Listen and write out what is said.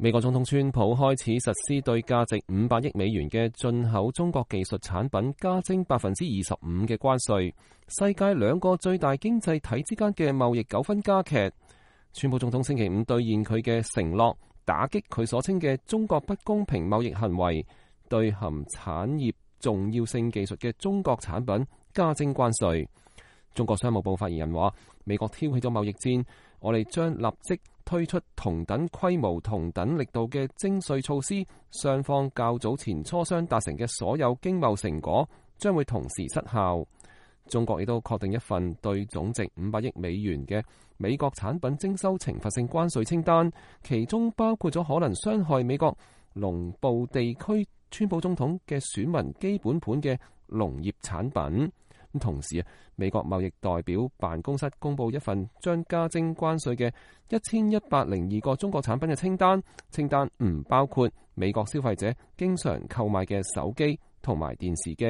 美國總統川普開始實施對價值500億美元嘅進口中國技術產品加徵25%嘅關稅，世界兩個最大經濟體之間嘅貿易糾紛加劇。川普總統星期五兌現佢嘅承諾，打擊佢所稱嘅中國不公平貿易行為，對含產業重要性技術嘅中國產品加徵關稅。中國商務部發言人話：美國挑起咗貿易戰，我哋將立即推出同等規模、同等力度嘅徵稅措施。雙方較早前磋商達成嘅所有經貿成果將會同時失效。中國亦都確定一份對總值500億美元嘅美國產品徵收懲罰性關稅清單，其中包括咗可能傷害美國農部地區川普總統嘅選民基本盤嘅農業產品。同時美國貿易代表辦公室公布一份將加徵關稅嘅1102個中國產品嘅清單，清單唔包括美國消費者經常購買嘅手機同埋電視機。